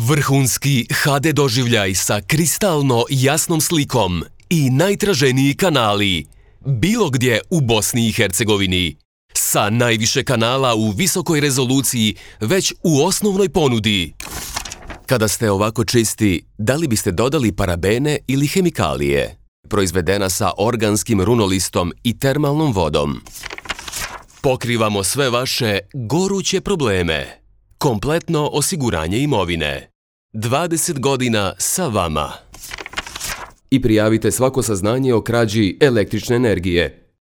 Vrhunski HD doživljaj sa kristalno jasnom slikom i najtraženiji kanali. Bilo gdje u Bosni i Hercegovini. Sa najviše kanala u visokoj rezoluciji već u osnovnoj ponudi. Kada ste ovako čisti, da li biste dodali parabene ili hemikalije? Proizvedena sa organskim runolistom i termalnom vodom. Pokrivamo sve vaše goruće probleme. Kompletno osiguranje imovine. 20 godina sa vama. I prijavite svako saznanje o krađi električne energije.